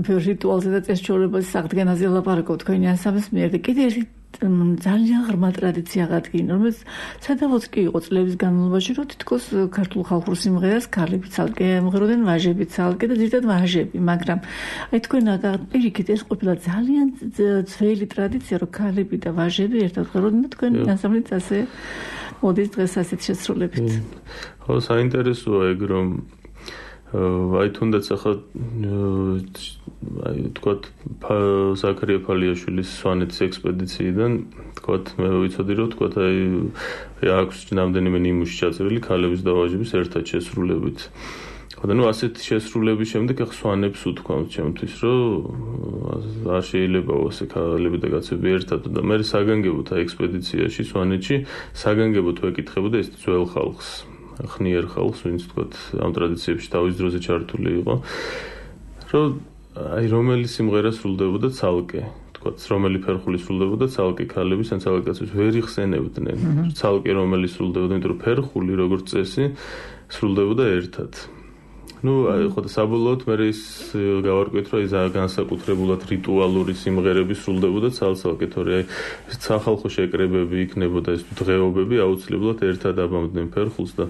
რიტუალზე და წესჩვეულებაზე საღდგენაზე ლაპარაკობ თქვენი ანსამბლის მიერ და კიდე ერთი ძალიან ღრმა ტრადიცია აღადგინა, რომელიც სადავოც კი იყო წლების განმავლობაში, რომ თითქოს ქართულ ხალხურ სიმღერას ქალები ცალკე ემღეროდნენ, ვაჟები ცალკე და ზირთად ვაჟები, მაგრამ აი თქვენ პირიქით ეს ყოფილა ძალიან ძველი ტრადიცია, რომ ქალები და ვაჟები ერთად ღვეროდნენ და თქვენ ანსამბლიც ასე მოდის დღეს ასეთ შესრულებით. ხო, საინტერესოა ეგ რომ აი თუნდაც ახლა აი თქვათ ზაქარია ფალიაშვილის სვანეთის ექსპედიციიდან თქვათ მე ვიცოდი რომ თქვათ აი აქვს რამდენიმე ნიმუში ჩაწერილი ქალების და ვაჟების ერთად შესრულებით. ხოდა ნუ ასეთი შესრულების შემდეგ ახლა სვანებს უთქვამთ ჩემთვის რომ არ შეიძლება ასე ქალები და კაცები ერთად და მე საგანგებოდ აი ექსპედიციაში სვანეთში საგანგებოდ ვეკითხებოდა ეს ძველ ხალხს ხნიერ ხალხს, ვინც თქვათ ამ ტრადიციებში თავის დროზე ჩართული იყო, რომ აი რომელი სიმღერა სრულდებოდა ცალკე, თქვათ რომელი ფერხული სრულდებოდა ცალკე ქალების ან ცალკე კაცების ვერ იხსენებდნენ. ცალკე რომელი სრულდებოდა, იმიტომ რომ ფერხული როგორც წესი სრულდებოდა ერთად. ნუ ხო და საბოლოოდ მე ის გავარკვიეთ რომ ის განსაკუთრებულად რიტუალური სიმღერები სრულდებოდა ცალ-ცალკე, თორე აი სახალხო შეკრებები იქნებოდა ეს დღეობები აუცილებლად ერთად აბამდნენ ფერხულს და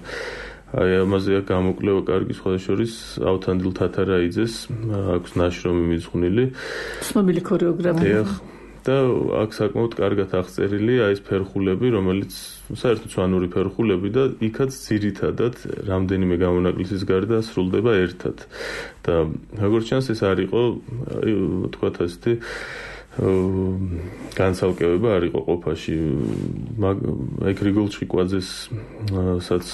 აი ამაზე გამოკვლევა კარგი სხვადასხვის ავთანდილ თათარაიძეს აქვს ნაშრომი მიძღვნილი ცნობილი ქორეოგრაფია და აქ საკმაოდ კარგად აღწერილია ეს ფერხულები, რომელიც საერთოდ სვანური ფერხულები და იქაც ძირითადად რამდენიმე გამონაკლისის გარდა სრულდება ერთად. და როგორც ჩანს ეს არ იყო, თქვათ ასეთი განცალკევება არ იყო ყოფაში. აი გრიგოლ ჭიკვაძეს საც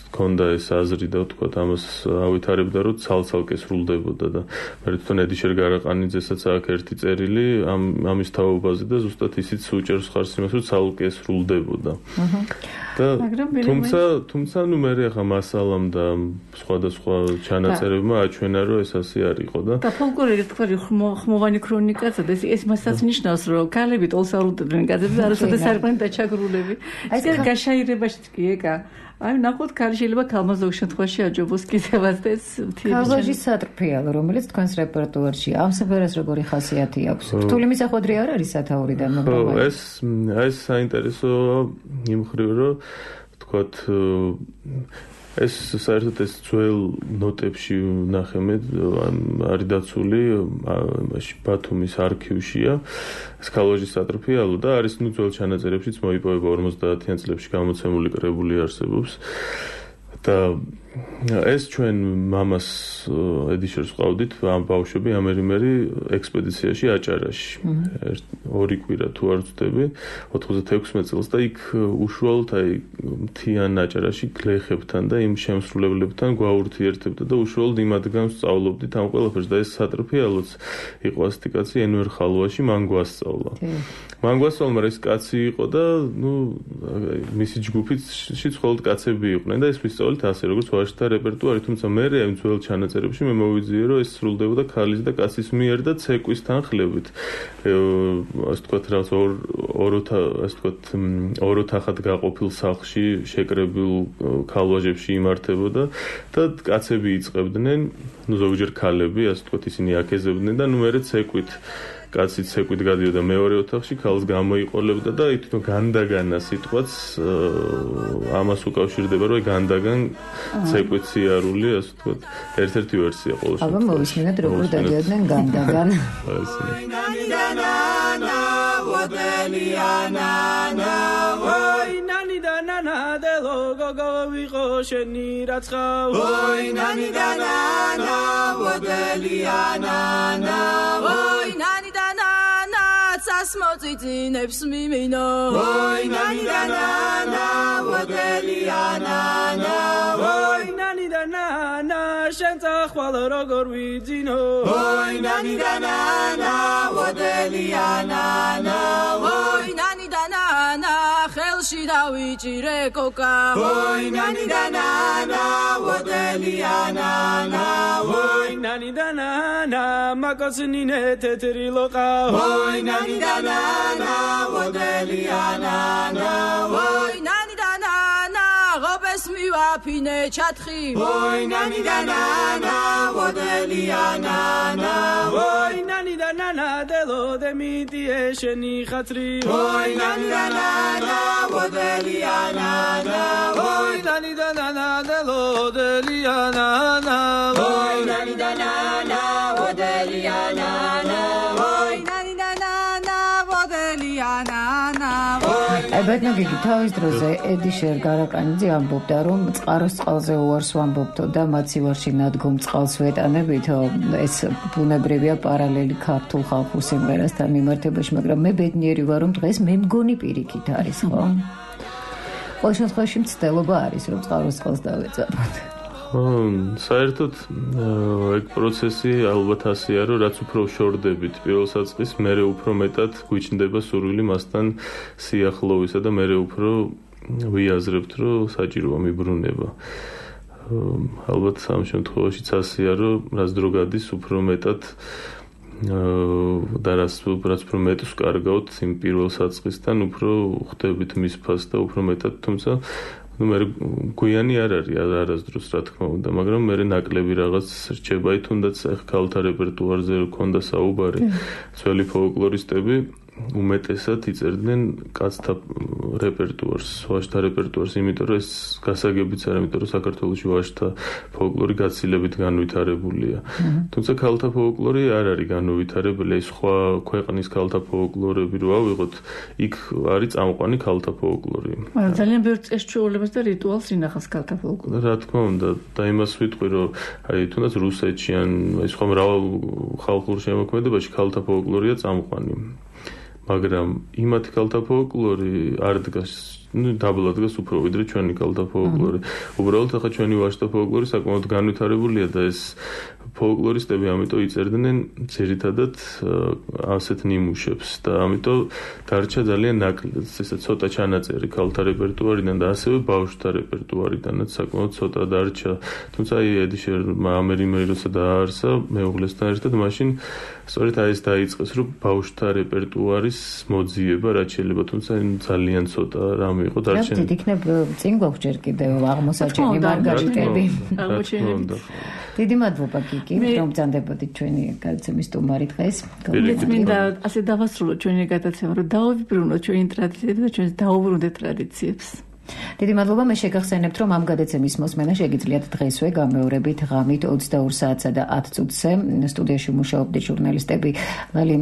ქონდა ეს აზრი და თქვათ ამას ავითარებდა რომ ცალ-ცალკე სრულდებოდა და მე თვითონ ედიშერ გარაყანიძესაც აქვს ერთი წერილი ამის თაობაზე და ზუსტად ისიც უჭერს ხარს იმას რომ ცალკე სრულდებოდა. და თუმცა ნუ მე ახლა მასალამ და სხვადასხვა ჩანაწერებმა აჩვენა რომ ეს ასე არ იყო და ფოლკლორი თქვა ხმოვანი ქრონიკაცა და ეს მასაც ნიშნავს რომ ქალები ტოლს არუდებდნენ კაცებს არასოდეს არ იყვნენ დაჩაგრულები. ეს გაშაირებაშიც კი ეკა აი ნახოთ ქალი შეიძლება ქალმა ზოგ შემთხვევაში აჯობოს კიდევაც და ეს ქალვაჟი სატრფიალო რომელიც თქვენს რეპერტუარში ამ სიმღერას როგორი ხასიათი აქვს რთული მისახვედრი არ არის სათაურიდან მაგრამ ეს საინტერესო იმ მხრივ რომ თქვათ ეს საერთოდ ეს ძველ ნოტებში ნახე მე არის დაცული იმაში ბათუმის არქივშია ეს ქალვაჟის სატრფიალო და არის ნუ ძველ ჩანაწერებშიც მოიპოვება 50-იან წლებში გამოცემული კრებული არსებობს და ეს ჩვენ მამას ედიშერს ყავდით ამ ბავშვები ამერიმერი ექსპედიციაში აჭარაში ორი კვირა თუ არ ვცდები 96 წელს და იქ უშუალოდ აი მთიან აჭარაში გლეხებთან და იმ შემსრულებლებთან გვაურთიერთებდა და უშუალოდ იმ ადგილას სწავლობდით ამ ყველაფერს და ეს სატრფიალოც იყო ასეთი კაცი ენვერ ხალვაში მან გვასწავლა მაგრამ ეს კაცი იყო და ნუ მისი ჯგუფიც მხოლოდ კაცები იყვნენ და ეს ვისწავლით ასე როგორც ვაჟთა რეპერტუარი, თუმცა მე ამ ძველ ჩანაწერებში მე მოვიძიე რომ ეს სრულდებოდა ქალის და კაცის მიერ და ცეკვის თანხლებით. ასე თქვათ რაღაც ოროთახად გაყოფილ სახლში შეკრებილ ქალვაჟებში იმართებოდა და კაცები იწყებდნენ, ნუ ზოგჯერ ქალები, ასე თქვათ ისინი აკეზებდნენ და ნუ მერე ცეკვით კაცი ცეკვით გადიოდა მეორე ოთახში, ქალს გამოიყოლებდა და თვითონ განდაგანა სიტყვაც ამას უკავშირდება, რომ განდაგან ცეკვით სიარული, ასე ვთქვათ, ერთ-ერთი ვერსია ყოველ შემთხვევაში. აბა მოვისმინოთ როგორ დადიოდნენ განდაგან. Modzidzინებს მიმინო ой ნანი და ნანა ვოდელია ნანა ой ნანი და ნანა შენ წახვალ როგორ ვიძინო ой ნანი და ნანა ვოდელია ნანა ой ნანი და ნანა ხელში დავიჭირე კოკა ой ნანი და ნანა ვოდელია ნანა ой ნანი და ნანა მაგოცნინე თეთრი ლოყა ой ნანი და ნანა ვოდელია ნანა ой ნანი და ნანა ღობეს მივაფინე ჩათხი ой нани да нана водელიანანა ой ნანი და ნანა დელო დემიტიე შენი ხათრი ой нани да нана водელიანანა ой ნანი და ნანა დელო დელიანანა ой нани да нана водელიანანა ой ნანი და ნანა водელიანანა ბატონო გიგი თავის დროზე ედიშერ გარაკანიძე ამბობდა რომ წყაროს წყალზე უარს ვამბობთო და მათ სივარში ნადგომ წყალს ვეტანებითო ეს ბუნებრივია პარალელი ქართულ ხალხურ სიმღერასთან მიმართებაში მაგრამ მე ბედნიერი ვარ რომ დღეს მე მგონი პირიქით არის ხო? ყოველ შემთხვევაში მცდელობა არის რომ წყაროს წყალს დავეწამოთ საერთოდ ეგ პროცესი ალბათ ასეა რომ რაც უფრო შორდებით პირველ საწყის მერე უფრო მეტად გვიჩნდება სურვილი მასთან სიახლოვისა და მერე უფრო ვიაზრებთ რომ საჭიროა მიბრუნება ალბათ ამ შემთხვევაშიც ასეა რომ რაც დრო გადის უფრო მეტად და რაც უფრო მეტს კარგავთ იმ პირველ საწყისთან უფრო ხვდებით მის ფასს და უფრო მეტად თუმცა მე გვიანი არ არის არასდროს რა თქმა უნდა მაგრამ მე ნაკლები რაღაც რჩება თუნდაც ახ ქალთა რეპერტუარზე ქონდა საუბარი ძველი ფოლკლორისტები უმეტესად იწერდნენ კაცთა რეპერტუარს ვაჟთა რეპერტუარს იმიტომ რომ ეს გასაგებიც არ იმიტომ რომ საქართველოში ვაჟთა ფოლკლორი გაცილებით განვითარებულია თუმცა ქალთა ფოლკლორი არ არის განვითარებული ეს სხვა ქვეყნის ქალთა ფოლკლორები რო ავიღოთ იქ არის წამყვანი ქალთა ფოლკლორი ძალიან ბევრ წესჩვეულებას და რიტუალს ინახავს ქალთა ფოლკლორი რა თქმა უნდა და იმას ვიტყვი რომ აი თუნდაც რუსეთში ან აი სხვა მრავალ ხალხურ შემოქმედებაში ქალთა ფოლკლორია წამყვანი მაგრამ იმათი ქალთა ფოლკლორი არ დგას დაბლა დგას უფრო ვიდრე ჩვენი ქალთა ფოლკლორი უბრალოდ ახლა ჩვენი ვაჟთა ფოლკლორი საკმაოდ განვითარებულია და ეს ფოლკლორისტები ამიტომ იწერდნენ ძირითადად ასეთ ნიმუშებს და ამიტომ დარჩა ძალიან ნაკლები ესა ცოტა ჩანაწერი ქალთა რეპერტუარიდან და ასევე ბავშვთა რეპერტუარიდანაც საკმაოდ ცოტა დარჩა თუმცა აი ედიშერმა ამერიმერი როცა დააარსა მეუღლესთან ერთად მაშინ სწორედ აი ეს დაიწყეს რომ ბავშვთა რეპერტუარის მოძიება რაც შეიძლება თუმცა ძალიან ცოტა რამე იყო დარჩენილი. რა თქმა უნდა, წინ გვაქვს ჯერ კიდევ აღმოსაჩენი მარგარიტები. დიდი მადლობა გიგი, რომ ბრძანდებოდით ჩვენი გადაცემის სტუმარი დღეს. მინდა ასე დავასრულოთ ჩვენი გადაცემა, რომ დაავიბრუნოთ ჩვენი ტრადიციები და ჩვენს დაუბრუნდეთ ტრადიციებს. დიდი მადლობა მე შეგახსენებთ რომ ამ გადაცემის მოსმენა შეგიძლიათ დღესვე გამეორებით ღამით 22 საათსა და 10 წუთზე სტუდიაში მუშაობდნენ ჟურნალისტები ლალი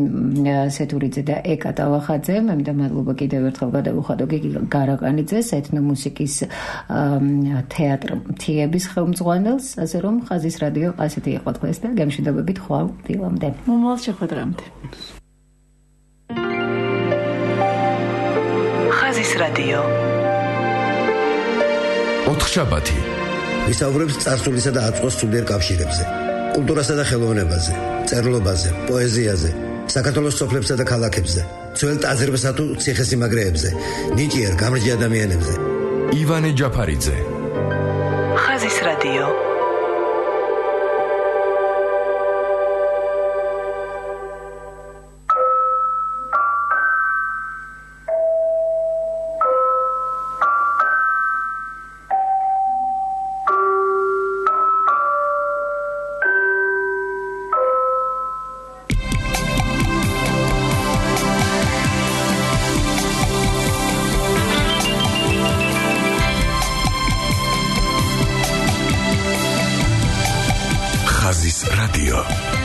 სეთურიძე და ეკა ტალახაძე მე მინდა მადლობა კიდევ ერთხელ გადავუხადო გიგი გარაკანიძეს ეთნომუსიკის თეატრ მთიების ხელმძღვანელს ასე რომ ხაზის რადიო ასეთი იყო დღეს და გამშვიდობებით ხვალ დილამდე მომავალ შეხვედრამდე ხაზის რადიო ოთხშაბათი ვისაუბრებს წარსულისა და აწმყოს სულიერ კავშირებზე, კულტურასა და ხელოვნებაზე, წერლობაზე, პოეზიაზე, საქართველოს სოფლებსა და ქალაქებზე, ძველ ტაძრებსა თუ ციხესიმაგრეებზე, ნიჭიერ გამრჯი ადამიანებზე. ივანე ჯაფარიძე. ხაზის რადიო. ხაზის რადიო